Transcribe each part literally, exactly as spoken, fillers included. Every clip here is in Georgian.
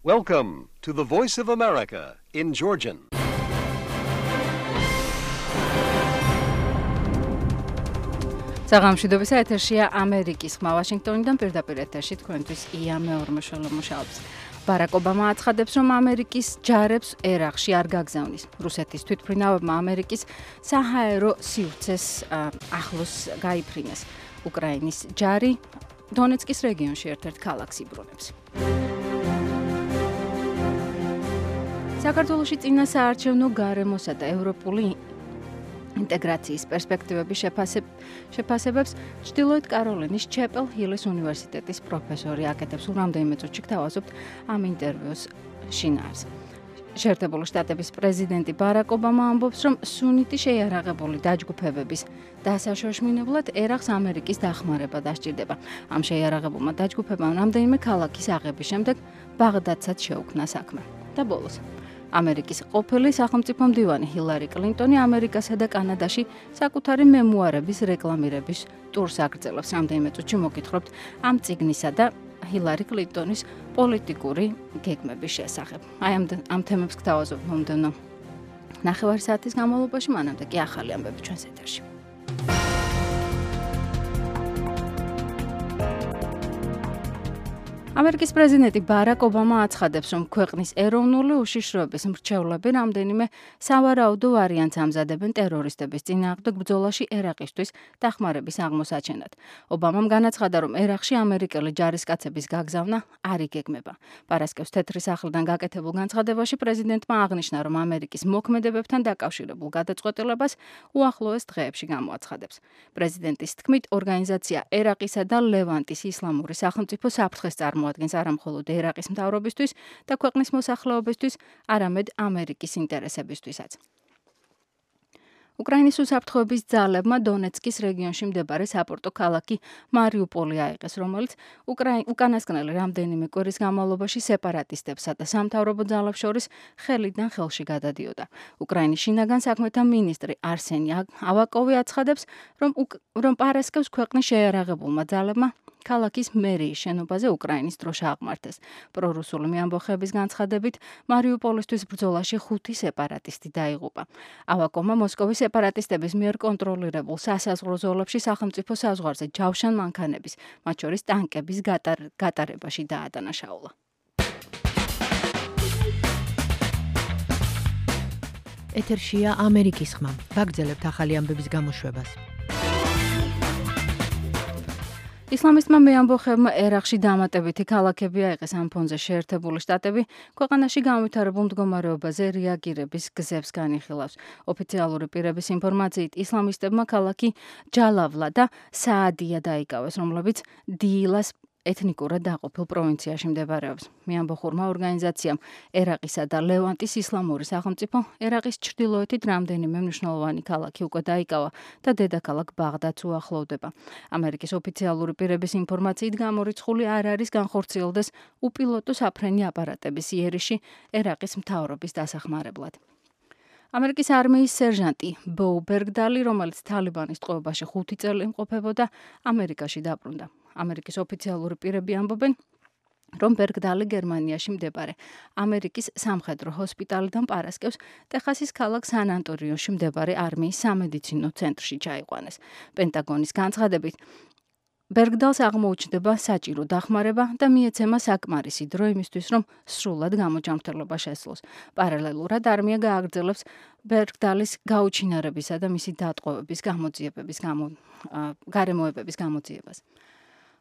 Welcome to the Voice of America in Georgian. საღამოშვიდობის ეთერშია ამერიკის ხმა ვაშინგტონიდან პირდაპირ ეთერში თქვენთვის ია მეორმოშოლო მუშაობს. ბარაკ ობამა აცხადებს, რომ ამერიკის ჯარებს ერაყში არ გაგზავნის. რუსეთის თვითმფრინავებმა ამერიკის საჰაერო სივრცეს ახლოს გაიფრინეს. უკრაინის ჯარი დონეცკის რეგიონში ერთ-ერთ ქალაქს იბრუნებს. საქართველოში წინა საარჩევნო გარემოსა და ევროპული ინტეგრაციის პერსპექტივების შეფასებებს ჩრდილოეთ კაროლინის ჩეპელ ჰილის უნივერსიტეტის პროფესორი აკეთებს. რამდენიმე წუთში გთავაზობთ ამ ინტერვიუს შინაარს. შეერთებული შტატების პრეზიდენტი ბარაკ ობამა ამბობს, რომ სუნიტი შეიარაღებული დაჯგუფებების დასაშოშმინებლად ერაყს ამერიკის დახმარება დასჭირდება. ამ შეიარაღებულმა დაჯგუფებამ რამდენიმე ქალაქის აღების შემდეგ ბაღდადსაც შეუქმნა საქმე. და ბოლოს ამერიკის ყოფილი სახელმწიფო მდივანი ჰილარი კლინტონი ამერიკასა და კანადაში საკუთარი მემუარების რეკლამირების ტურს აგრძელებს. რამდენიმე წუთში მოგითხრობთ ამ წიგნისა და ჰილარი კლინტონის პოლიტიკური გეგმების შესახებ. აი ამ ამ თემებს გთავაზობთ მომდევნო ნახევარი საათის განმავლობაში, მანამდე კი ახალი ამბები ჩვენს ეთერში. ამერიკის პრეზიდენტი ბარაკ ობამა აცხადებს, რომ ქვეყნის ეროვნული უშიშროების მრჩევლები რამდენიმე სავარაუდო ვარიანტს ამზადებენ ტერორისტების წინააღმდეგ ბრძოლაში ერაყისთვის დახმარების აღმოსაჩენად. ობამამ განაცხადა, რომ ერაყში ამერიკელი ჯარისკაცების გაგზავნა არ იგეგმება. პარასკევს თეთრი სახლიდან გაკეთებულ განცხადებაში პრეზიდენტმა აღნიშნა, რომ ამერიკის მოქმედებებთან დაკავშირებულ გადაწყვეტილებას უახლოეს დღეებში გამოაცხადებს. პრეზიდენტის თქმით, ორგანიზაცია ერაყისა და ლევანტის ისლამური სახელმწიფო საფრთხეს წარმოადგენს არა მხოლოდ ერაყის მთავრობისთვის და ქვეყნის მოსახლეობისთვის, არამედ ამერიკის ინტერესებისთვისაც. უკრაინის უსაფრთხოების ძალებმა დონეცკის რეგიონში მდებარე საპორტო ქალაქი მარიუპოლი აიღეს, რომელიც უკანასკნელი რამდენიმე კვირის განმავლობაში სეპარატისტებსა და სამთავრობო ძალებს შორის ხელიდან ხელში გადადიოდა. უკრაინის შინაგან საქმეთა მინისტრი არსენი ავაკოვი აცხადებს, რომ რომ პარასკევს ქვეყნის შეიარაღებულმა ძალებმა ქალაქის მერიის შენობაზე უკრაინის დროშა აღმართეს. პრორუსული მეამბოხეების განცხადებით, მარიუპოლისთვის ბრძოლაში ხუთი სეპარატისტი დაიღუპა. ავაკოვმა მოსკოვის სეპარატისტების მიერ კონტროლირებულ სასაზღვრო ზოლებში სახელმწიფო საზღვარზე ჯავშან მანქანების, მათ შორის ტანკების გატარებაში დაადანაშაულა. ეთერშია ამერიკის ხმა. ვაგრძელებთ ახალი ამბების გამოშვებას. ისლამისტმა მეამბოხებმა ერაყში დამატებითი ქალაქები აიღეს. ამ ფონზე შეერთებული შტატები ქვეყანაში განვითარებულ მდგომარეობაზე რეაგირების გზებს განიხილავს. ოფიციალური პირების ინფორმაციით, ისლამისტებმა ქალაქი ჯალავლა და საადია დაიკავეს, რომლებიც დილას ეთნიკურად დაყოფილ პროვინციაში მდებარეობს. მეამბოხურმა ორგანიზაციამ ერაყისა და ლევანტის ისლამური სახელმწიფო ერაყის ჩრდილოეთით რამდენიმე მნიშვნელოვანი ქალაქი უკვე დაიკავა და დედაქალაქ ბაღდადს უახლოვდება. ამერიკის ოფიციალური პირების ინფორმაციით, გამორიცხული არ არის განხორციელდეს უპილოტო საფრენი აპარატების იერიში ერაყის მთავრობის დასახმარებლად. ამერიკის არმიის სერჟანტი ბო ბერგდალი, რომელიც თალიბანის ტყვეობაში ხუთი წელი იმყოფებოდა, ამერიკაში დაბრუნდა. ამერიკის ოფიციალური პირები ამბობენ, რომ ბერგდალი გერმანიაში მდებარე ამერიკის სამხედრო ჰოსპიტალიდან პარასკევს ტეხასის ქალაქ სან-ანტონიოში მდებარე არმიის სამედიცინო ცენტრში ჩაიყვანეს. პენტაგონის განცხადებით, ბერგდალს აღმოუჩნდება საჭირო დახმარება და მიეცემა საკმარისი დრო იმისთვის, რომ სრულად გამოჯანმრთელობა შესძლოს. პარალელურად არმია გააგრძელებს ბერგდალის გაუჩინარებისა და მისი დატყვევების გამოძიებების გარემოებების გამოძიებას.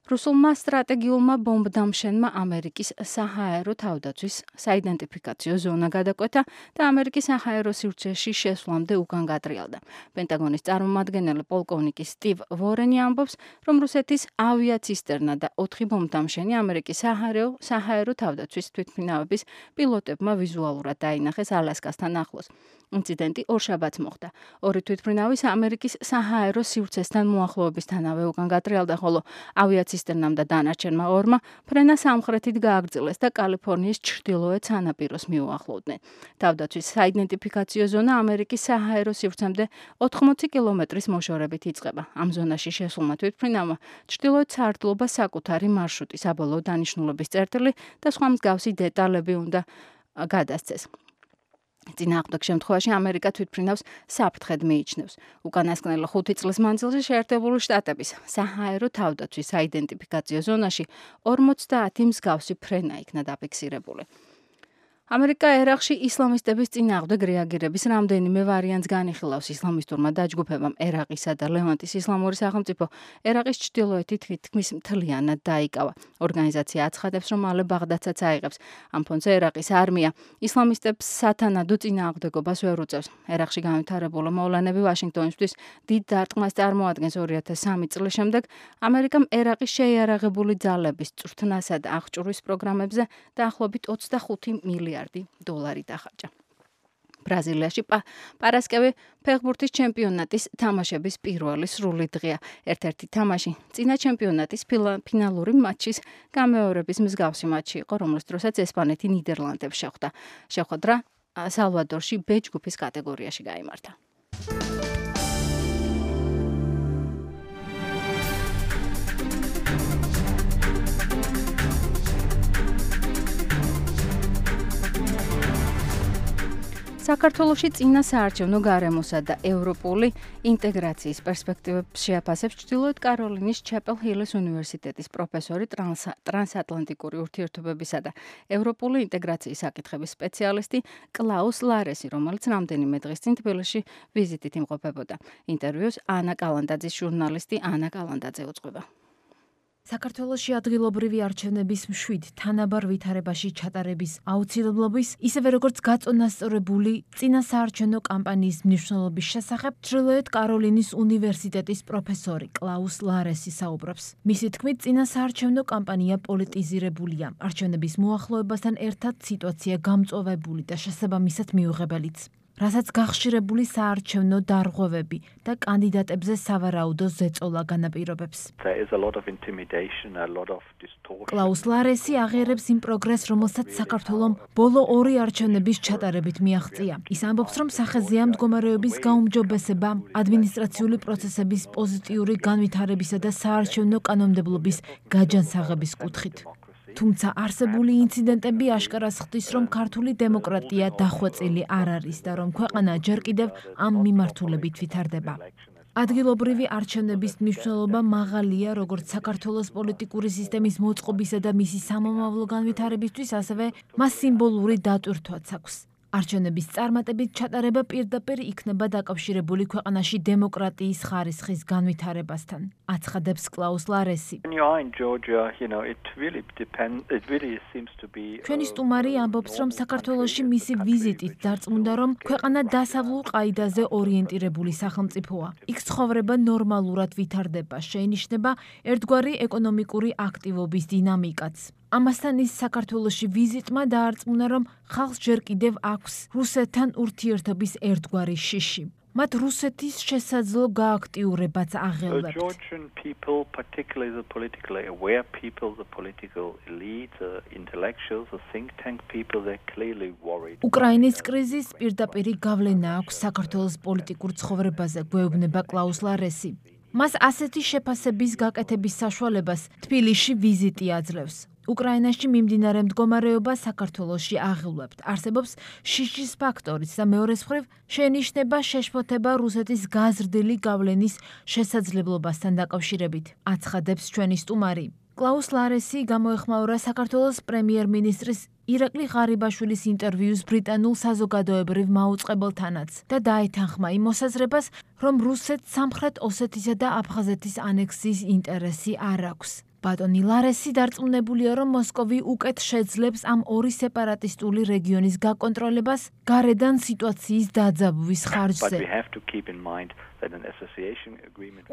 რუსულმა სტრატეგიულმა ბომბდამშენმა ამერიკის საჰაერო თავდაცვის საიდენტიფიკაციო ზონა გადაკვეთა და ამერიკის საჰაერო სივრცეში შესვლამდე უკან გატრიალდა. პენტაგონის წარმომადგენელი პოლკოვნიკი სტივ ვორენი ამბობს, რომ რუსეთის ავიაცისტერნა და ოთხი ბომბდამშენი ამერიკის საჰაერო საჰაერო თავდაცვის თვითმფრინავების პილოტებმა ვიზუალურად დაინახეს ალასკასთან ახლოს. ინციდენტი ორშაბათს მოხდა. ორი თვითმფრინავის ამერიკის საჰაერო სივრცესთან მოახლოებისთანავე უკან გატრიალდა, ხოლო ავიაციის ცისტერნამ და დანარჩენმა ორმა ფრენა სამხრეთით გააგრძელეს და კალიფორნიის ჩრდილოეთ სანაპიროს მიუახლოვდნენ. თავდაცვის საიდენტიფიკაციო ზონა ამერიკის საჰაერო სივრცემდე ოთხმოცი კილომეტრის მოშორებით იწყება. ამ ზონაში შესულმა თვითმფრინავმა ჩრდილოეთ სარდლობას საკუთარი მარშრუტი, საბოლოო დანიშნულების წერტილი და სხვა მსგავსი დეტალები უნდა გადასცეს. წინააღმდეგ შემთხვევაში ამერიკა თვითმფრინავს საფრთხედ მიიჩნევს. უკანასკნელ ხუთი წლის მანძილზე შეერთებული შტატების საჰაერო თავდაცვის საიდენტიფიკაციო ზონაში ორმოცდაათი მსგავსი ფრენა იქნა დაფიქსირებული. ამერიკა ერაყში ისლამისტების წინააღმდეგ რეაგირების რამდენიმე ვარიანტს განიხილავს. ისლამისტურმა დაჯგუფებამ ერაყისა და ლევანტის ისლამური სახელმწიფო ერაყის ჩრდილოეთით თითქმის მთლიანად დაიკავა. ორგანიზაცია აცხადებს, რომ მალე ბაღდადსაც აიღებს. ამ ფონზე ერაყის არმია ისლამისტებს სათანადო წინააღმდეგობას ვერ უწევს. ერაყში განვითარებული მოვლენები ვაშინგტონისთვის დიდ დარტყმას წარმოადგენს. ორი ათას სამი წლის შემდეგ ამერიკამ ერაყის შეიარაღებული ძალების წვრთნასა და აღჭურვის პროგრამებზე დაახლოებით ოცდახუთი მილიარდი დოლარი დახარჯა. ბრაზილიაში პარასკევი ფეხბურთის ჩემპიონატის თამაშების პირველი სრული დღეა. ერთ-ერთი თამაში წინა ჩემპიონატის ფინალური მატჩის გამეორების მსგავსი მატჩი იყო, რომლის დროსაც ესპანეთი ნიდერლანდებს შეხვდა. შეხვედრა სალვადორში ბ ჯგუფის კატეგორიაში გაიმართა. საქართველოში წინა საარჩევნო გარემოსა და ევროპული ინტეგრაციის პერსპექტივებს შეაფასებს ჩრდილოეთ კაროლინის ჩაპელ-ჰილის უნივერსიტეტის პროფესორი ტრანსატლანტიკური ურთიერთობებისა და ევროპული ინტეგრაციის საკითხების სპეციალისტი კლაუს ლარესი, რომელიც რამდენიმე დღის წინ თბილისში ვიზიტით იმყოფებოდა. ინტერვიუს ანა კალანდაძის ჟურნალისტი ანა კალანდაძე უძღვება. საქართველოში ადგილობრივი არჩევნების მშვიდ თანაბარ ვითარებაში ჩატარების აუცილებლობის, ისევე როგორც გაწონასწორებული წინა საარჩევნო კამპანიის მნიშვნელობის შესახებ ჩრდილოეთ კაროლინის უნივერსიტეტის პროფესორი კლაუს ლარესი საუბრობს. მისი თქმით, წინა საარჩევნო კამპანია პოლიტიზირებულია. არჩევნების მოახლოებასთან ერთად სიტუაცია გამწვავებული და შესაბამისად მიუღებელიც. რასაც გახშირებული საარჩევნო დარღვევები და კანდიდატებზე სავარაუდო ზეწოლა განაპირობებს. კლაუს ლარესი აღიარებს იმ პროგრესს, რომელსაც საქართველომ ბოლო ორი არჩევნების ჩატარებით მიაღწია. ის ამბობს, რომ სახეზეა მდგომარეობის გაუმჯობესება, ადმინისტრაციული პროცესების პოზიტიური განვითარებისა და საარჩევნო კანონმდებლობის გაჯანსაღების კუთხით. თუმცა არსებული ინციდენტები აშკარას ხდის, რომ ქართული დემოკრატია დახვეწილი არ არის და რომ ქვეყანა ჯერ კიდევ ამ მიმართულებით ვითარდება. ადგილობრივი არჩევნების მნიშვნელობა მაღალია როგორც საქართველოს პოლიტიკური სისტემის მოწყობისა და მისი სამომავლო განვითარებისთვის, ასევე მას სიმბოლური დატვირთვაც აქვს. არჩევნების წარმატებით ჩატარება პირდაპირ იქნება დაკავშირებული ქვეყანაში დემოკრატიის ხარისხის განვითარებასთან, აცხადებს კლაუს ლარესი. ჩვენი სტუმარი ამბობს, რომ საქართველოში მისი ვიზიტით დარწმუნდა, რომ ქვეყანა დასავლურ ყაიდაზე ორიენტირებული სახელმწიფოა. იქ ცხოვრება ნორმალურად ვითარდება, შეინიშნება ერთგვარი ეკონომიკური აქტივობის დინამიკაც. ამასთან ის საქართველოში ვიზიტმა დაარწმუნა, რომ ხალხს ჯერ კიდევ აქვს რუსეთთან ურთიერთობის ერთგვარი შიში. მათ რუსეთის შესაძლო გააქტიურებაც აღელვებთ. უკრაინის კრიზისს პირდაპირი გავლენა აქვს საქართველოს პოლიტიკურ ცხოვრებაზე, გვეუბნება კლაუს ლარესი. მას ასეთი შეფასების გაკეთების საშუალებას თბილისში ვიზიტი აძლევს. უკრაინაში მიმდინარე მდგომარეობა საქართველოში აღელვებთ. არსებობს შიშის ფაქტორიც და მეორეს მხრივ შეინიშნება შეშფოთება რუსეთის გაზრდილი გავლენის შესაძლებლობასთან დაკავშირებით, აცხადებს ჩვენი სტუმარი. კლაუს ლარესი გამოეხმაურა საქართველოს პრემიერ-მინისტრის ირაკლი ღარიბაშვილის ინტერვიუს ბრიტანულ საზოგადოებრივ მაუწყებელთანაც და დაეთანხმა იმ მოსაზრებას, რომ რუსეთს სამხრეთ ოსეთისა და აფხაზეთის ანექსიის ინტერესი არ აქვს. ბატონი ლარესი დარწმუნებულია, რომ მოსკოვი უკეთ შეძლებს ამ ორი სეპარატისტული რეგიონის გაკონტროლებას გარედან სიტუაციის დაძაბვის ხარჯზე.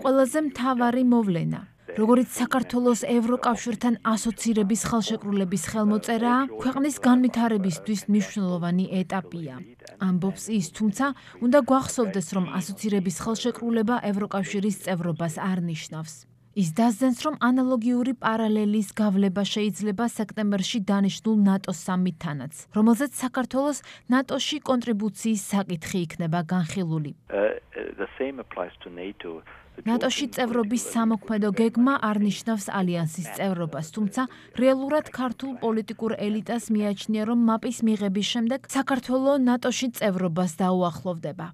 ყველაზე მთავარი მოვლენა, როგორც საქართველოს ევროკავშირთან ასოცირების ხელშეკრულების ხელმოწერაა, ქვეყნის განვითარებისთვის მნიშვნელოვანი ეტაპია. ამბობს ის, თუმცა უნდა გვახსოვდეს, რომ ასოცირების ხელშეკრულება ევროკავშირის წევრობას არ ნიშნავს. ის დასძენს, რომ ანალოგიური პარალელის გავლება შეიძლება სექტემბერში დანიშნულ ნატოს სამიტთანაც, რომელზეც საქართველოს ნატოში კონტრიბუციის საკითხი იქნება განხილული. ნატოში წევრობის სამოქმედო გეგმა არ ნიშნავს ალიანსის წევრობას, თუმცა რეალურად ქართულ პოლიტიკურ ელიტას მიაჩნია, რომ მაპის მიღების შემდეგ საქართველო ნატოში წევრობას დაუახლოვდება.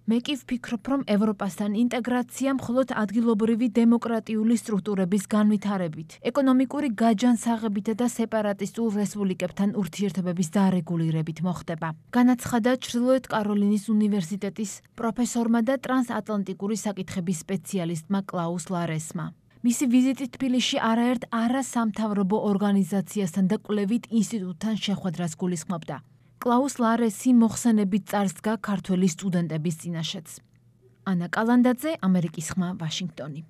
მე კი ვფიქრობ, რომ ევროპასთან ინტეგრაცია მხოლოდ ადგილობრივი დემოკრატიული სტრუქტურების განვითარებით, ეკონომიკური გაჯანსაღებით და სეპარატისტულ რესპუბლიკებთან ურთიერთობების დარეგულირებით მოხდება. განაცხადა ჩრდილოეთ კაროლინის უნივერსიტეტის პროფესორმა და ტრანსატლანტიკური საკითხების სპეციალისტმა კლაუს ლარესმა. მისი ვიზიტი თბილისში არაერთ არასამთავრობო ორგანიზაციასთან და კვლევით ინსტიტუტთან შეხვედრას გულისხმობდა. კლაუს ლარესი მოხსენებით წარსდგა ქართველი სტუდენტების წინაშეც. ანა კალანდაძე, ამერიკის ხმა, ვაშინგტონი.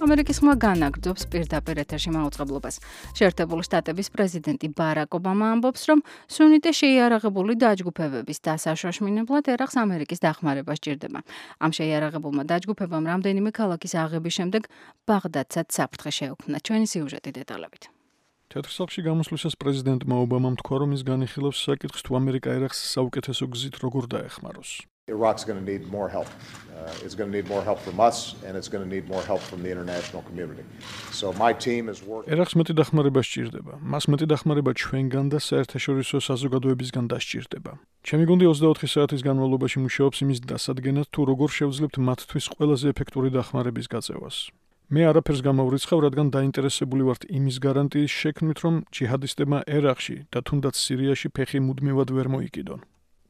ამერიკის ხმა განაგრძობს პირდაპირ ეთერში მაუწყებლობას. შეერთებული შტატების პრეზიდენტი ბარაკ ობამა ამბობს, რომ სუნიტე შეიარაღებული დაჯგუფებების დასაშოშმინებლად ერახს ამერიკის დახმარება სჭირდება. ამ შეიარაღებულმა დაჯგუფებამ რამდენიმე ქალაქის აღების შემდეგ ბაღდადსაც საფრთხე შეუქმნა. ჩვენი სიუჟეტი დეტალებით. თეთრ სახლში გამოსვლისას პრეზიდენტმა ობამამ თქვა, რომ ის განიხილავს საკითხს, თუ ამერიკა ერახს საუკეთესო გზით როგორ დაეხმაროს. Iraq's going to need more help. Uh, it's going to need more help from us, and it's going to need more help from the international community. So my team is working. ერახს მეტი დახმარება სჭირდება. მას მეტი დახმარება ჩვენგან და საერთაშორისო საზოგადოებისგან დასჭირდება. ჩემი გუნდი ოცდაოთხი საათის განმავლობაში მუშაობს იმის დასადგენად, თუ როგორ შევძლებთ მათთვის ყველაზე ეფექტური დახმარების გაწევას. მე არაფერს გამავრიცხავ, რადგან დაინტერესებული ვართ იმის გარანტიის შექმნით, რომ ჯიჰადისტებმა ერახში და თუნდაც სირიაში ფეხი მუდმივად ვერ მოიკიდონ.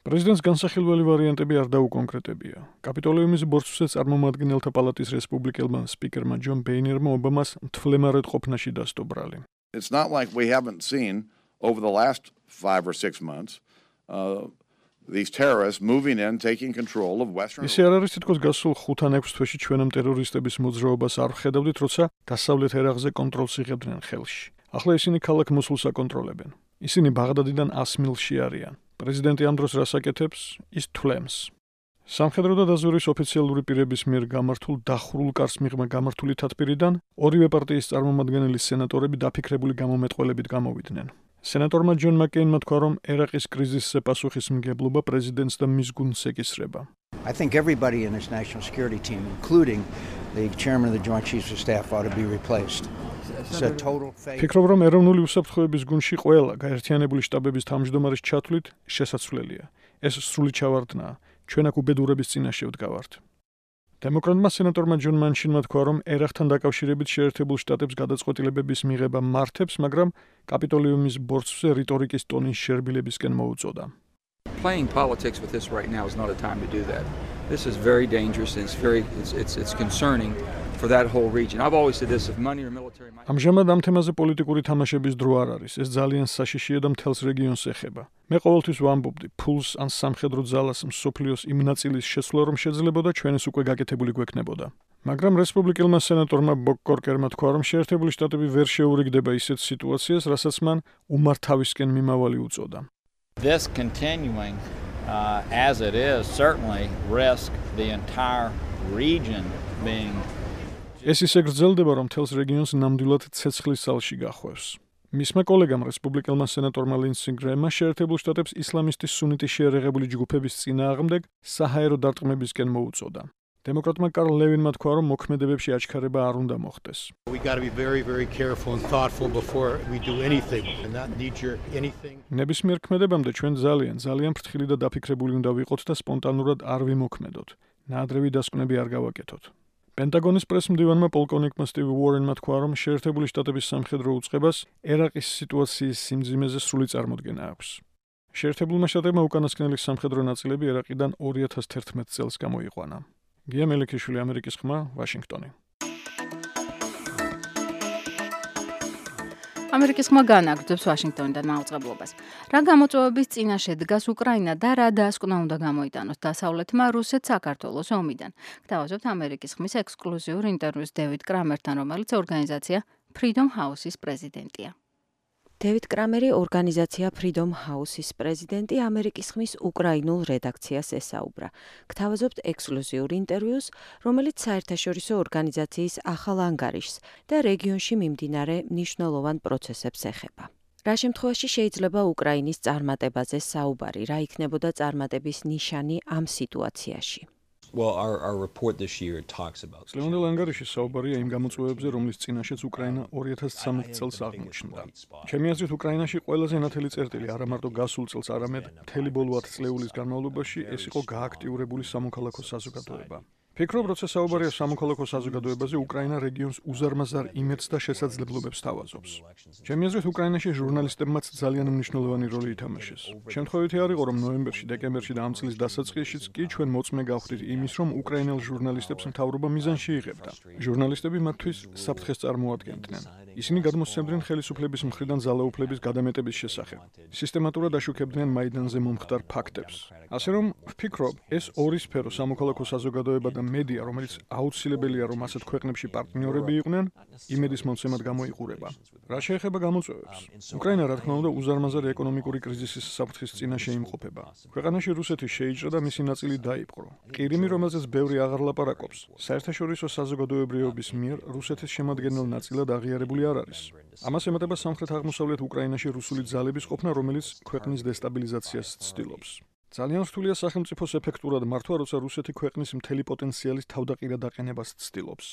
პრეზიდენტს განსახილველი ვარიანტები არ დაუკონკრეტებია. კაპიტოლიუმის ბორცვზე წარმომადგენელთა პალატის რესპუბლიკელმა სპიკერმა ჯონ ბეინერმა ობამას მთლემარად ყოფნაში დასდო ბრალი. It's not like we haven't seen over the last five or six months uh, these terrorists moving in, taking control of Western. ისე არ არის თითქოს გასულ ხუთ ან ექვს თვეში ჩვენამ ტერორისტების მოძრაობას არ ვხედავდით, როცა დასავლეთ ერაყზე კონტროლს იღებდნენ ხელში. ახლა ისინი ქალაქ მოსულს აკონტროლებენ. ისინი ბაღდადიდან ას მილში არიან. პრეზიდენტი ამ დროს რას აკეთებს? ის თვლემს. სამხედრო და დაზვერვის ოფიციალური პირების მიერ გამართულ დახურულ კარს მიღმა გამართული თათბირიდან ორივე პარტიის წარმომადგენელი სენატორები დაფიქრებული გამომეტყველებით გამოვიდნენ. სენატორმა ჯონ მაკეინმა თქვა, რომ ერაყის კრიზისზე პასუხისმგებლობა პრეზიდენტს და მის გუნდს ეკისრება. I think everybody in this national security team, including the chairman of the Joint Chiefs of Staff, ought to be replaced. ფიქრობ, რომ ეროვნული უსაფრთხოების გუნდში ყველა გაერთიანებული შტაბების თავმჯდომარის ჩათვლით შესაძლებელია. ეს სრული ჩავარდნაა. ჩვენ აქ უბედურების წინაშე ვდგავართ. დემოკრატმა სენატორმა ჯონ მანშინმა თქვა, რომ ერახთან დაკავშირებით შეერთებულ შტატებს გადაწყვეტილებების მიღება მართებს, მაგრამ კაპიტოლიუმის ბორცვზე რიტორიკის ტონის შერბილებისკენ მოუწოდა. Playing politics with this right now is not a time to do that. This is very dangerous and it's very it's it's it's concerning for that whole region. I've always said this, if money or military might... ამჟამად ამ თემაზე პოლიტიკური თამაშების დრო არ არის. ეს ძალიან საშიშია და მთელს რეგიონს ეხება. მე ყოველთვის ვამბობდი, ფულს ან სამხედრო ძალას მსოფლიოს იმ ნაწილის შეცვლა რომ შეძლებოდა, ჩვენს უკვე გაკეთებული გვექნებოდა. მაგრამ რესპუბლიკელმა სენატორმა ბოკ კორკერმა თქვა, რომ შეერთებული შტატები ვერ შეურიგდება ისეთ სიტუაციას, რასაც მან უმართავისკენ მიმავალი უწოდა. This continuing uh, as it is certainly risk the entire region being ეს ისე გრძელდება, რომ მთელს რეგიონს ნამდვილად ცეცხლის სალში გახვევს. მისმა კოლეგამ რესპუბლიკელმა სენატორმა ლინდსი გრემმა შეერთებულ შტატებს ისლამისტის სუნიტის შეიარაღებული ჯგუფების წინააღმდეგ საჰაერო დარტყმებისკენ მოუწოდა. დემოკრატმა კარლ ლევინმა თქვა, რომ მოქმედებებში აჩქარება არ უნდა მოხდეს. We got to be very very careful and thoughtful before we do anything and not knee jerk anything. ნებისმიერ ქმედებამდე ჩვენ ძალიან ძალიან ფრთხილი და დაფიქრებული უნდა ვიყოთ და სპონტანურად არ ვიმოქმედოთ. ნაადრევი დასკვნები არ გავაკეთოთ. პენტაგონის პრესმდივანმა პოლკოვნიკმა სტივ უორენმა თქვა, რომ შეერთებული შტატების სამხედრო უწყებას ერაყის სიტუაციის სიმძიმეზე სრული წარმოდგენა აქვს. შეერთებულმა შტატებმა უკანასკნელი სამხედრო ნაწილები ერაყიდან ორი ათას თერთმეტ წელს გამოიყვანა. გია მელიქიშვილი, ამერიკის ხმა, ვაშინგტონი. ამერიკის ხმა განაგრძობს ვაშინგტონიდან მაუწყებლობას. რა გამოწვევების წინაშე დგას უკრაინა და რა დასკვნა უნდა გამოიტანოს დასავლეთმა რუსეთს საქართველოს ომიდან. გთავაზობთ ამერიკის ხმის ექსკლუზიურ ინტერვიუს დევიდ კრამერთან, რომელიც ორგანიზაცია Freedom House-ის პრეზიდენტია. დევიდ კრამერი ორგანიზაცია Freedom House-ის პრეზიდენტი ამერიკის ხმის უკრაინულ რედაქციას ესაუბრა. გთავაზობთ ექსკლუზიურ ინტერვიუს, რომელიც საერთაშორისო ორგანიზაციის ახალ ანგარიშს და რეგიონში მიმდინარე მნიშვნელოვან პროცესებს ეხება. რა შემთხვევაში შეიძლება უკრაინის წარმატებაზე საუბარი, რა იქნებოდა წარმატების ნიშანი ამ სიტუაციაში? Well, our, our report this year talks about... Წლევანდელ ანგარიში საუბარია იმ გამოწვევებზე, რომლის წინაშეც უკრაინა ორი ათას ცხრამეტ წელს აღმოჩნდა. ჩემი აზრით, უკრაინაში ყველაზე ნათელი წერტილი არა მარტო გასულ წელს, არამედ მთელი ბოლო ათ წლეულის განმავლობაში ეს იყო გააქტიურებული სამოქალაქო საზოგადოება. ფიქრობ, როცა საუბარია სამოქალაქო საზოგადოებაზე, უკრაინა რეგიონს უზარმაზარ იმედს და შესაძლებლობებს თავაზობს. ჩემი აზრით, უკრაინაში ჟურნალისტებმაც ძალიან მნიშვნელოვანი როლი ითამაშეს. შემთხვევითი არ იყო, რომ ნოემბერში, დეკემბერში და ამ წლის დასაწყისშიც კი ჩვენ მოწმე გავხდით იმის, რომ უკრაინელ ჟურნალისტებს მთავრობა მიზანში იღებდა. ჟურნალისტები მათთვის საფრთხეს წარმოადგენდნენ. ისინი გადმოსცემდნენ ხელისუფლების მხრიდან ძალაუფლების გადამეტების შესახებ. სისტემატურად აშუქებდნენ მაიდანზე მომხდარ ფაქტებს. ასე რომ, ვფიქრობ, ეს ორი სფერო, სამოქალაქო საზოგადოება და მედია, რომელიც აუცილებელია, რომ ასეთ ქვეყნებში პარტნიორები იყვნენ, იმედის მომცემად გამოიყურება. რა შეეხება გამოწვევებს? უკრაინა, რა თქმა უნდა, უზარმაზარი ეკონომიკური კრიზისის საფრთხის წინაშე იმყოფება. ქვეყანაში რუსეთი შეიჭრა და მისი ნაწილი დაიპყრო. ყირიმი, რომელზეც ბევრი აღარ ლაპარაკობს, საერთაშორისო საზოგადოებრიობის მიერ რუსეთის შემადგენელ ნაწილად აღიარებული არ არის. ამას ემატება სამხრეთ-აღმოსავლეთ უკრაინაში რუსული ძალების ყოფნა, რომელიც ქვეყნის დესტაბილიზაციას ცდილობს. ძალიან რთულია სახელმწიფოს ეფექტურად მართვა, როცა რუსეთი ქვეყნის მთელი პოტენციალის თავდაყირა დაყენებას ცდილობს.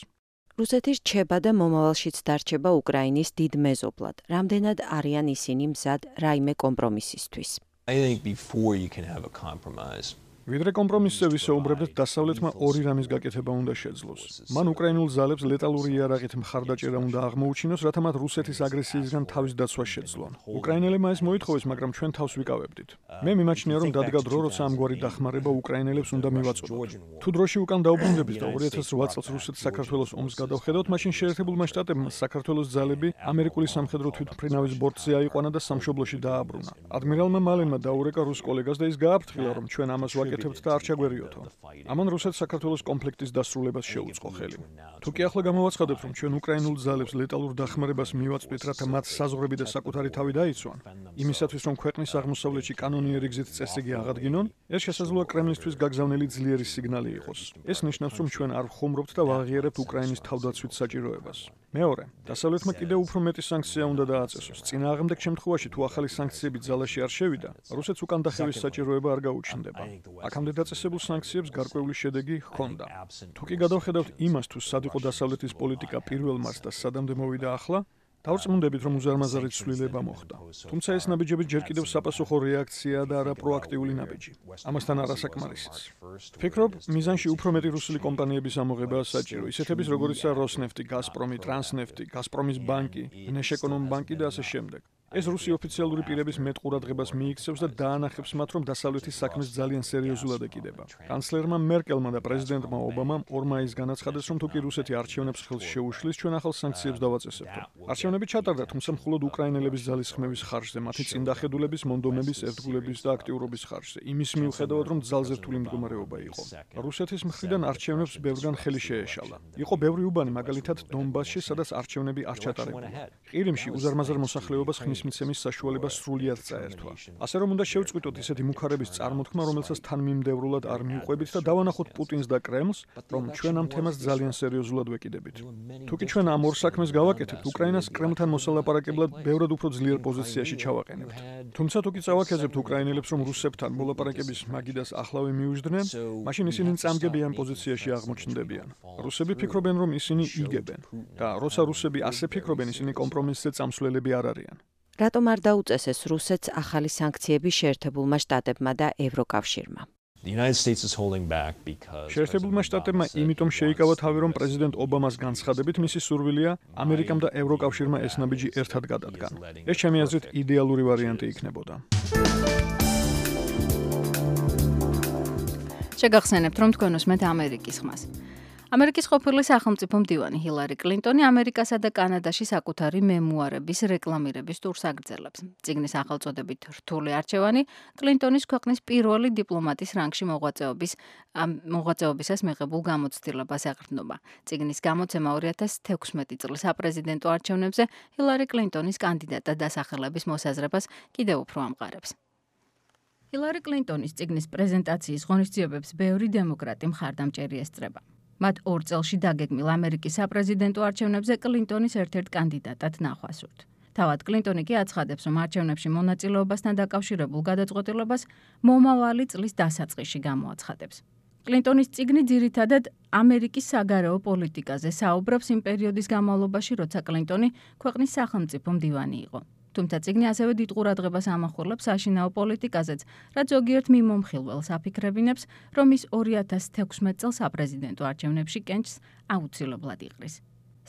რუსეთი რჩება და მომავალშიც დარჩება უკრაინის დიდ მეზობლად. რამდენად არიან ისინი მზად რაიმე კომპრომისისთვის? I think before you can have a compromise. ვიდრე კომპრომისზე ვისაუბრებდეთ, დასავლეთმა ორი რამის გაკეთება უნდა შეძლოს. მან უკრაინულ ძალებს ლეტალური იარაღით მხარდაჭერა უნდა აღმოუჩინოს, რათა მათ რუსეთის აგრესიისგან თავის დაცვა შეძლონ. უკრაინელებმა ეს მოითხოვეს, მაგრამ ჩვენ თავს ვიკავებდით. მე მიმაჩნია, რომ დადგა დრო, როცა ამგვარი დახმარება უკრაინელებს უნდა მივაწოდოთ. თუ დროში უკან დაუბრუნდებით და ორი ათას რვა წელს რუსეთს საქართველოს ომს გადავხედავთ, მაშინ შეერთებულმა შტატებმა საქართველოს ძალები ამერიკული სამხედრო თვითმფრინავის ბორტზე აიყვანა და სამშობლოში დააბრუნა. ადმირალმა მალენმა დაურეკა რუს კოლეგას და ის გააფრთხილა, რომ ჩვენ ამას ვაკეთებთ და არ ჩაგვერიოთო. ამან რუსეთს საქართველოს კონფლიქტის დასრულებას შეუწყო ხელი. თუ კი ახლა გამოვაცხადებთ, რომ ჩვენ უკრაინულ ძალებს ლეტალურ დახმარებას მივაწვდით, რათა მათ საზღვრები და საკუთარი თავი დაიცვან, იმისათვის, რომ ქვეყნის აღმოსავლეთში კანონიერი გზით წესრიგი აღადგინონ, ეს შესაძლოა კრემლისთვის გაგზავნილი ძლიერი სიგნალი იყოს. ეს ნიშნავს, რომ ჩვენ არ ვხუმრობთ და ვაღიარებთ უკრაინის თავდაცვით საჭიროებას. მეორე, დასავლეთმა კიდევ უფრო მეტი სანქცია უნდა დააწესოს. წინააღმდეგ შემთხვევაში, თუ ახალი სანქციები ძალაში არ შევიდა, რუსეთს უკან დახევის საჭიროება არ გაუჩნდება. აქამდე დაწესებულ სანქციებს გარკვეული შედეგი ჰქონდა. თუ კი გადავხედავთ იმას, თუ სად იყო დასავლეთის პოლიტიკა პირველ მარს და სადამდე მოვიდა ახლა, დავწმუნდებით, რომ უზარმაზარი ცვლილება მოხდა. თუმცა ეს ნაბიჯები ჯერ კიდევ საპასუხო რეაქციაა და არა პროაქტიული ნაბიჯი. ამასთან არასაკმარისიც. ვფიქრობ, მიზანში უფრო მეტი რუსული კომპანიების ამოღებაა საჭირო, ისეთების როგორიცაა როსნეფტი, გაზპრომი, ტრანსნეფტი, გაზპრომის ბანკი, ნეშეკონომ ბანკი და ასე შემდეგ. ეს რუსი ოფიციალური პირების მეტ ყურადღებას მიიქცევს და დაანახებს მათ, რომ დასავლეთის საქმეს ძალიან სერიოზულად ეკიდება. კანცლერმა მერკელმა და პრეზიდენტმა ობამამ ორ მაისს განაცხადეს, რომ თუ კი რუსეთი არჩევნებს ხელს შეუშლის, ჩვენ ახალ სანქციებს დავაწესებთ. არჩევნები ჩატარდა, თუმცა მხოლოდ უკრაინელების ძალის ხმების ხარჯზე, მათი წინდახედულების, მონდომების, ერთგულების და აქტიურობის ხარჯზე. იმის მიუხედავად, რომ ძალზე რთული მდგომარეობა იყო. რუსეთის მხრიდან არჩევნებს ბევრგან ხელი შეეშალა. იყო ბევრი უბანი, მაგალითად დონბასში, სადაც არჩევნები არ ჩატარებულა. ყირიმში უზარმაზარ მოსახლეობას ხმის მიცემის საშუალება სრულიად წაერთვა. ასე რომ უნდა შევწყვიტოთ ისეთი მუქარების წარმოთქმა, რომელსაც თანმიმდევრულად არ მიუყვებით და დავანახოთ პუტინს და კრემლს, რომ ჩვენ ამ თემას ძალიან სერიოზულად ვეკიდებით. თუ კი ჩვენ ამ ორ საქმეს გავაკეთებთ, უკრაინას კრემლთან მოსალაპარაკებლად ბევრად უფრო ძლიერ პოზიციაში ჩავაყენებთ. თუმცა თუ კი წავაქეზებთ უკრაინელებს, რომ რუსებთან მოლაპარაკების მაგიდას ახლავე მიუждდნენ, მაშინ ისინი წამგებიან პოზიციაში აღმოჩნდებიან. რუსები ფიქრობენ, რომ ისინი იგებენ და როცა რუსები ასე ფიქრობენ, ისინი კომპრომისზე წამსვლელები არ არიან. რატომ არ დაუწესეს რუსეთს ახალი სანქციები შეერთებულმა შტატებმა და ევროკავშირმა? შეერთებულმა შტატებმა იმიტომ შეიკავა თავი, რომ პრეზიდენტ ობამას განცხადებით მისი სურვილია ამერიკამ და ევროკავშირმა ეს ნაბიჯი ერთად გადადგან. ეს ჩემი აზრით იდეალური ვარიანტი იქნებოდა. შეგახსენებთ, რომ თქვენ უსმენთ ამერიკის ხმას. ამერიკის ყოფილი სახელმწიფო მდივანი ჰილარი კლინტონი ამერიკასა და კანადაში საკუთარი მემუარების რეკლამირების ტურს აგრძელებს. წიგნის სახელწოდებით რთული არჩევანი კლინტონის ქვეყნის პირველი დიპლომატის რანგში მოღვაწეობის მოღვაწეობისას მიღებულ გამოცდილებას ეყრდნობა. წიგნის გამოცემა ორი ათას თექვსმეტი წლის საპრეზიდენტო არჩევნებზე ჰილარი კლინტონის კანდიდატად დასახელების მოსაზრებას კიდევ უფრო ამყარებს. ჰილარი კლინტონის წიგნის პრეზენტაციის ღონისძიებებს ბევრი დემოკრატი მხარდამჭერი ესწრება. მათ ორ წელში დაგეგმილ ამერიკის საპრეზიდენტო არჩევნებზე კლინტონის ერთ-ერთ კანდიდატად ნახვა სურთ. თავად კლინტონი კი აცხადებს, რომ არჩევნებში მონაწილეობასთან დაკავშირებულ გადაწყვეტილებას მომავალი წლის დასაწყისში გამოაცხადებს. კლინტონის წიგნი ძირითადად ამერიკის საგარეო პოლიტიკაზე საუბრობს იმ პერიოდის განმავლობაში, როცა კლინტონი ქვეყნის სახელმწიფო მდივანი იყო. თუმცა წიგნი ასევე დიდ ყურადღებას ამახვილებს საშინაო პოლიტიკაზეც, რაც ზოგიერთ მიმომხილველს აფიქრებინებს, რომ ის ორი ათას თექვსმეტ წელს საპრეზიდენტო არჩევნებში კენჭს აუცილებლად იყრის.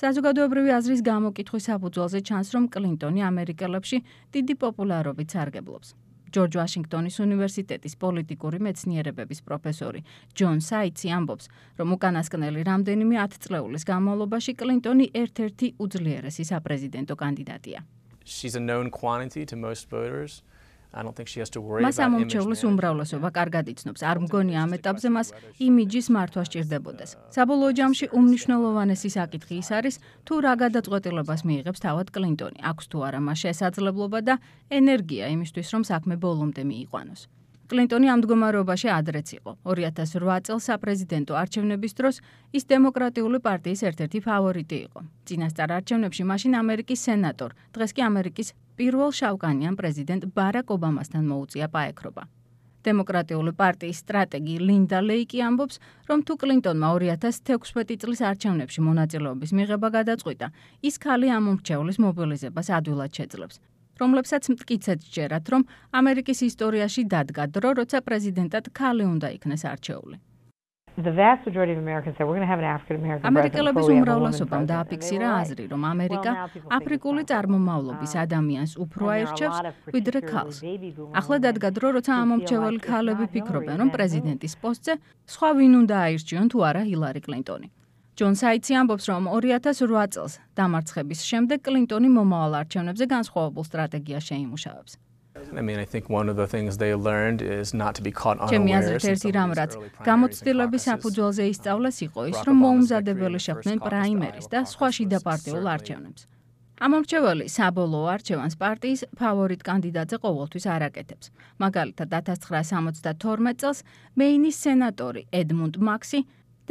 საზოგადოებრივი აზრის გამოკითხვის საფუძველზე ჩანს, რომ კლინტონი ამერიკელებში დიდი პოპულარობით სარგებლობს. ჯორჯ ვაშინგტონის უნივერსიტეტის პოლიტიკური მეცნიერებების პროფესორი ჯონ საიცი ამბობს, რომ უკანასკნელი რამდენიმე ათწლეულის განმავლობაში კლინტონი ერთ-ერთი უძლიერესი საპრეზიდენტო კანდიდატია. She's a known quantity to most voters. I don't think she has to worry about მას ამომრჩევლის უმრავლესობა კარგად იცნობს. არ მგონია ამ ეტაპზე მას იმიჯის მართვა სჭირდებოდეს. საბოლოო ჯამში უმნიშვნელოვანესი საკითხი ის არის, თუ რა გადაწყვეტილებას მიიღებს თავად კლინტონი. აქვს თუ არა მას შესაძლებლობა და ენერგია იმისთვის, რომ საქმე ბოლომდე მიიყვანოს. კლინტონი ამ მდგომარეობაში ადრეც იყო. ორი ათას რვა წელს საპრეზიდენტო არჩევნების დროს ის დემოკრატიული პარტიის ერთ-ერთი ფავორიტი იყო. წინასწარ არჩევნებში მაშინ ამერიკის სენატორ, დღეს კი ამერიკის პირველ შავკანიან პრეზიდენტ ბარაკ ობამასთან მოუწია პაექრობა. დემოკრატიული პარტიის სტრატეგი ლინდა ლეიკი ამბობს, რომ თუ კლინტონმა ორი ათას თექვსმეტი წლის არჩევნებში მონაწილეობის მიღება გადაწყვიტა, ის ქალი ამომრჩევლის მობილიზებას ადვილად შეძლებს. რომლებსაც მტკიცედ სჯერათ, რომ ამერიკის ისტორიაში დადგა დრო, როცა პრეზიდენტად ქალი უნდა იქნეს არჩეული. ამერიკელების უმრავლესობამ დააფიქსირა აზრი, რომ ამერიკა აფრიკული წარმომავლობის ადამიანს უფრო აირჩევს, ვიდრე ქალს. ახლა დადგა დრო, როცა ამომრჩეველი ქალები ფიქრობენ, რომ პრეზიდენტის პოსტზე სხვა ვინ უნდა აირჩიონ თუ არა ჰილარი კლინტონი. ჯონ საიცი ამბობს, რომ ორი ათას რვა წელს დამარცხების შემდეგ კლინტონი მომავალ არჩევნებზე განსხვავებულ სტრატეგიას შეიმუშავებს. I mean, I think one of the things they learned is not to be caught ჩემი unawares. აზრით ერთი რამ, რაც გამოცდილების საფუძველზე ისწავლეს, იყო ის, რომ მოუმზადებელი შეხვდნენ პრაიმერის და სხვა შიდა პარტიულ არჩევნებს. ამომრჩეველი საბოლოო არჩევანს პარტიის ფავორიტ კანდიდატზე ყოველთვის არ აკეთებს. მაგალითად, ათას ცხრაასი სამოცდათორმეტ წელს მეინის სენატორი ედმუნდ მაქსი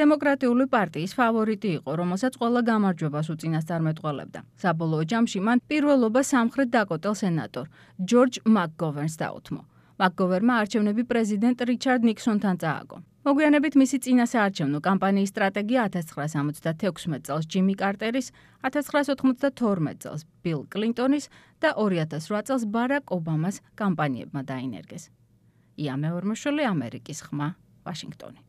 დემოკრატიული პარტიის ფავორიტი იყო, რომელსაც ყველა გამარჯვებას უწინასწარმეტყველებდა. საბოლოო ჯამში მან პირველობა სამხრეთ დაკოტელ სენატორ ჯორჯ მაკგოვერნს დაუთმო. მაკგოვერმა არჩევნები პრეზიდენტ რიჩარდ ნიქსონთან წააგო. მოგვიანებით მისი წინასაარჩევნო კამპანიის სტრატეგია ათას ცხრაასი ორმოცდათექვსმეტ წელს ჯიმი კარტერის, ათას ცხრაასი ოთხმოცდათორმეტ წელს ბილ კლინტონის და ორი ათას რვა წელს ბარაკ ობამას კამპანიებმა დაინერგეს. ია მეორმოშვილი, ამერიკის ხმა, ვაშინგტონი.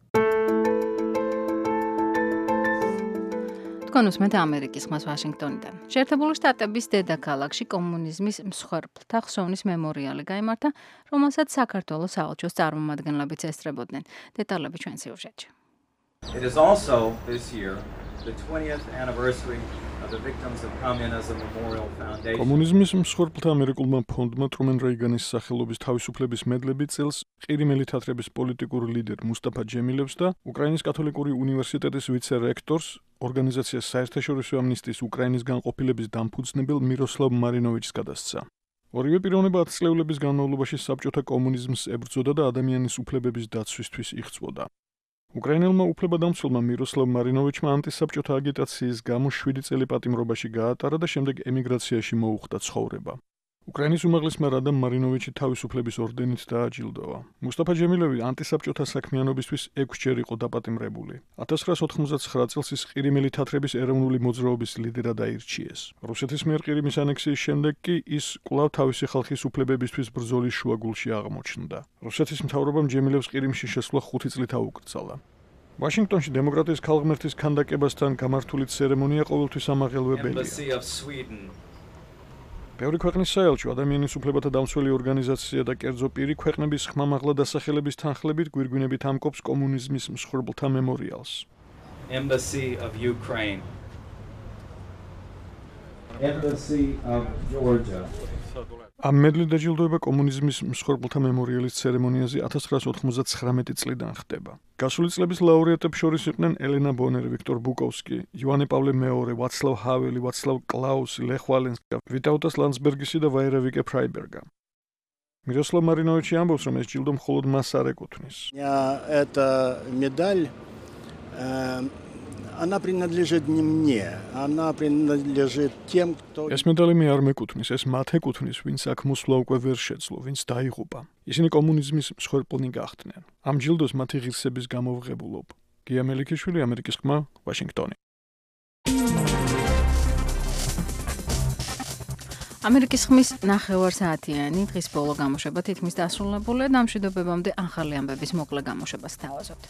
თქვენ უსმენთ ამერიკის ხმას ვაშინგტონიდან. შეერთებული შტატების დედაქალაქში კომუნიზმის მსხვერპლთა ხსოვნის მემორიალი გაიმართა, რომელსაც საქართველოს საელჩოს წარმომადგენლებიც ესწრებოდნენ. დეტალები ჩვენ სიუჟეტში. It is also this year the twentieth anniversary of the Victims of Communism Memorial Foundation. კომუნიზმის მსხვერპლთა ამერიკულმა ფონდმა ტრუმენ რეიგანის სახელობის თავისუფლების მედლები წელს ყირიმელი თათრების პოლიტიკურ ლიდერ მუსტაფა ჯემილევს და უკრაინის კათოლიკური უნივერსიტეტის ვიცე-რექტორს ორგანიზაციას საერთაშორისო ამნისტიის უკრაინის განყოფილების დამფუძნებელ მიროსლავ მარინოვიჩს გადასცა. ორივე პიროვნება ათწლეულების განმავლობაში საბჭოთა კომუნიზმს ებრძოდა და ადამიანის უფლებების დაცვისთვის იღწვოდა. უკრაინელმა უფლებადამცველმა მიროსლავ მარინოვიჩმა ანტისაბჭოთა აგიტაციის გამო შვიდი წელი პატიმრობაში გაატარა და შემდეგ ემიგრაციაში მოუხდა ცხოვრება. უკრაინის უმაღლესმა რადამ მარინოვიჩი თავისუფლების ორდენით დააჯილდოვა. მუსტაფა ჯემილევი ანტისაბჭოთა საქმიანობისთვის ექვსჯერ იყო დაპატიმრებული. ათას ცხრაასი ოთხმოცდაცხრა წელს ის ყირიმელი თათრების ეროვნული მოძრაობის ლიდერად აირჩიეს. რუსეთის მიერ ყირიმის ანექსიის შემდეგ კი ის კვლავ თავისი ხალხის უფლებებისთვის ბრძოლის შუაგულში აღმოჩნდა. რუსეთის მთავრობამ ჯემილევს ყირიმში შესვლა ხუთი წლით აუკრძალა. ვაშინგტონში დემოკრატიის ქალღმერთის ქანდაკებასთან გამართული ცერემონია ყოველთვის ამაღელვებელია. ბევრი ქვეყნის საელჩო, ადამიანის უფლებათა დამცველი ორგანიზაცია და კერძო პირი ქვეყნების ხმამაღლა დასახელების თანხლებით გვირგვინებით ამკობს კომუნიზმის მსხვერპლთა მემორიალს. Embassy of Ukraine, Embassy of Georgia. ამ მედლით დაჯილდოება კომუნიზმის მსხვერპლთა მემორიალის ცერემონიაზე ათას ცხრაასი ოთხმოცდათცხრამეტი წლიდან ხდება. გასული წლების ლაურეატებს შორის იყვნენ ელენა ბონერი, ვიქტორ ბუკოვსკი, იოანე პავლე მეორე, ვაცლავ ჰაველი, ვაცლავ კლაუსი, ლეხ ვალენსკი, ვიტაუტას ლანსბერგისი და ვაირა-ვიკე ფრაიბერგა. მიროსლავ მარინოვიჩი ამბობს, რომ ეს ჯილდო მხოლოდ მას არ ეკუთვნის. Эта медаль, она принадлежит не мне, она принадлежит тем, кто... ეს медალი მე არ მეკუთვნის, ეს მათ ეკუთვნის, ვინც აქ მოსვლა უკვე ვერ შეძლო, ვინც დაიღუპა. ისინი კომუნიზმის მსხვერპლნი გახდნენ. ამ ჯილდოს მათი ღირსების გამო ვღებულობ. გია მელიქიშვილი, ამერიკის ხმა, ვაშინგტონი. ამერიკის ხმის ნახევარსაათიანი დღის ბოლო გამოშვება თითქმის დასრულებულია და ამ მშვიდობებამდე ახალი ამბების მოკლე გამოშვებას თავაზობთ.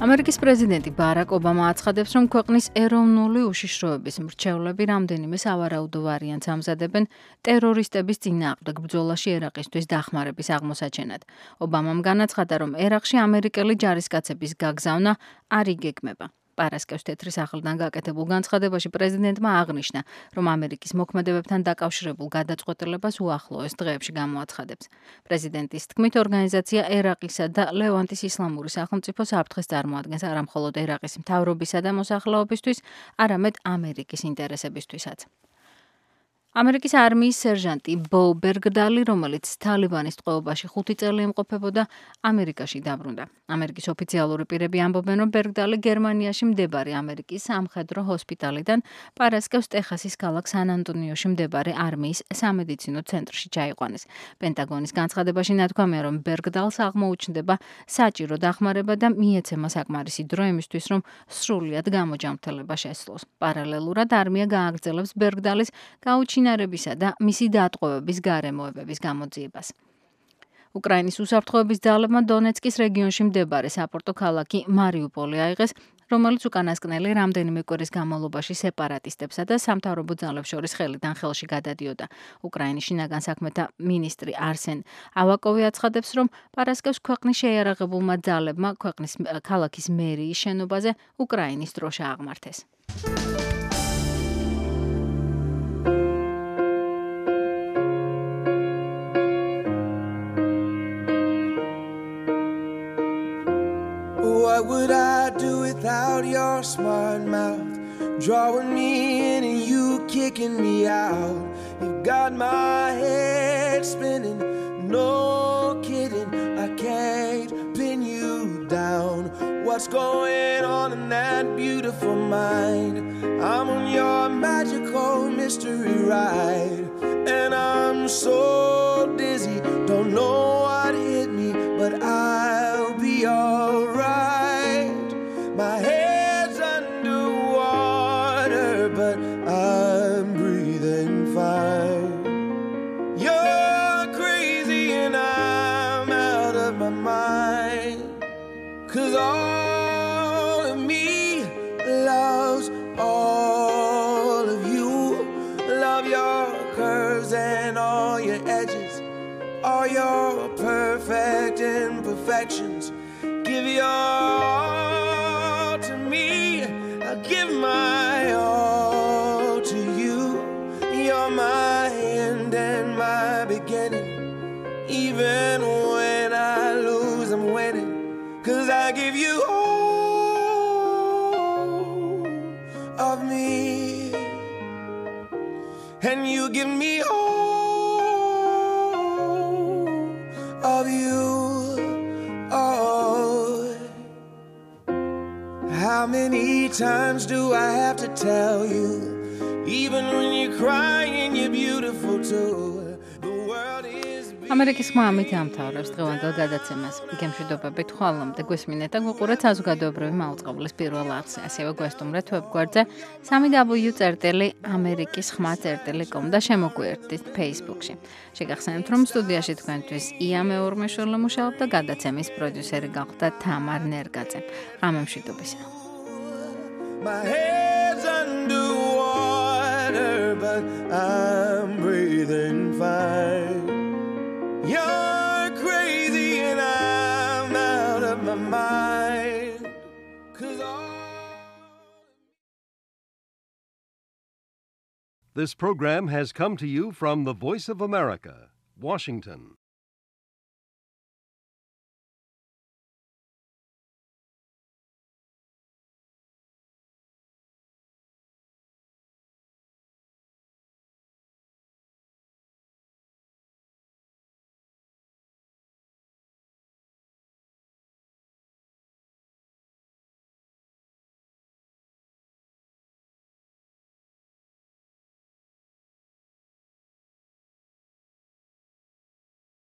ამერიკის პრეზიდენტი ბარაკ ობამა აცხადებს, რომ ქვეყნის ეროვნული უშიშროების მრჩევლები რამდენიმე სავარაუდო ვარიანტს ამზადებენ ტერორისტების წინააღმდეგ ბრძოლაში ერაყისთვის დახმარების აღმოსაჩენად. ობამამ განაცხადა, რომ ერაყში ამერიკელი ჯარისკაცების გაგზავნა არ იგეგმება. პარასკევს თეთრი სახლიდან გაკეთებულ განცხადებაში პრეზიდენტმა აღნიშნა, რომ ამერიკის მოქმედებებთან დაკავშირებულ გადაწყვეტილებას უახლოეს დღეებში გამოაცხადებს. პრეზიდენტის თქმით, ორგანიზაცია ერაყისა და ლევანტის ისლამური სახელმწიფო საფრთხეს წარმოადგენს არა მხოლოდ ერაყის მთავრობისა და მოსახლეობისთვის, არამედ ამერიკის ინტერესებისთვისაც. ამერიკის არმიის სერჟანტი ბო ბერგდალი, რომელიც თალიბანის ტყვეობაში ხუთი წელი იმყოფებოდა, ამერიკაში დაბრუნდა. ამერიკის ოფიციალური პირები ამბობენ, რომ ბერგდალი გერმანიაში მდებარე ამერიკის სამხედრო ჰოსპიტალიდან პარასკევს ტეხასის ქალაქ სან-ანტონიოში მდებარე არმიის სამედიცინო ცენტრში ჩაიყვანეს. პენტაგონის განცხადებაში ნათქვამია, რომ ბერგდალს აღმოუჩნდება საჭირო დახმარება და მიეცემა საკმარისი დრო იმისთვის, რომ სრულად გამოჯანმრთელება შესძლოს. პარალელურად არმია გააგრძელებს ბერგდალის გაუჩინარებისა და მისი დატყვევების გარემოებების გამოძიებას. უკრაინის უსაფრთხოების ძალებმა დონეცკის რეგიონში მდებარე საპორტო ქალაქი მარიუპოლი აიღეს, რომელიც უკანასკნელი რამდენიმე კვირის განმავლობაში სეპარატისტებსა და სამთავრობო ძალებს შორის ხელიდან ხელში გადადიოდა. უკრაინის შინაგან საქმეთა მინისტრი არსენ ავაკოვი აცხადებს, რომ პარასკევს ქვეყნის შეიარაღებულმა ძალებმა ქვეყნის ქალაქის მერიის შენობაზე უკრაინის დროშა აღმართეს. What would I do without your smart mouth? Drawing me in and you kicking me out. You've got my head spinning, no kidding. I can't pin you down. What's going on in that beautiful mind? I'm on your magical mystery ride, and I'm so dizzy, don't know what hit me, but I'll be alright. My head's underwater, but I'm breathing fine. You're crazy and I'm out of my mind, 'cause all of me loves all of you. Love your curves and all your edges, all your perfect imperfections. Give your all to me, I'll give my all to you. You're my end and my beginning. Even when I lose, I'm winning, 'cause I give you all of me, and you give me all of you. How many times do I have to tell you? Even when you're crying, you're beautiful too. The world is ამერიკის ხმა ამით ამთავრებს დღევანდელ გადაცემას. გემშვიდობებით ხვალამდე გვესმინეთ და გვყურეთ საზოგადოებრივი მაუწყებლის პირველ არხზე. ასევე გვესტუმრეთ ვებგვერდზე სამი დაბლიუ წერტილი ამერიკის ხმა წერტილი კომ და შემოგვიერთდით Facebook-ში. შეგახსენებთ, რომ სტუდიაში თქვენთვის ია მეორმეშვილი მუშაობდა, გადაცემის პროდიუსერი გახდა თამარ ნერგაძე. ღამემშვიდობისა. My head's underwater, but I'm breathing fine. You're crazy and I'm out. This program has come to you from the Voice of America, Washington.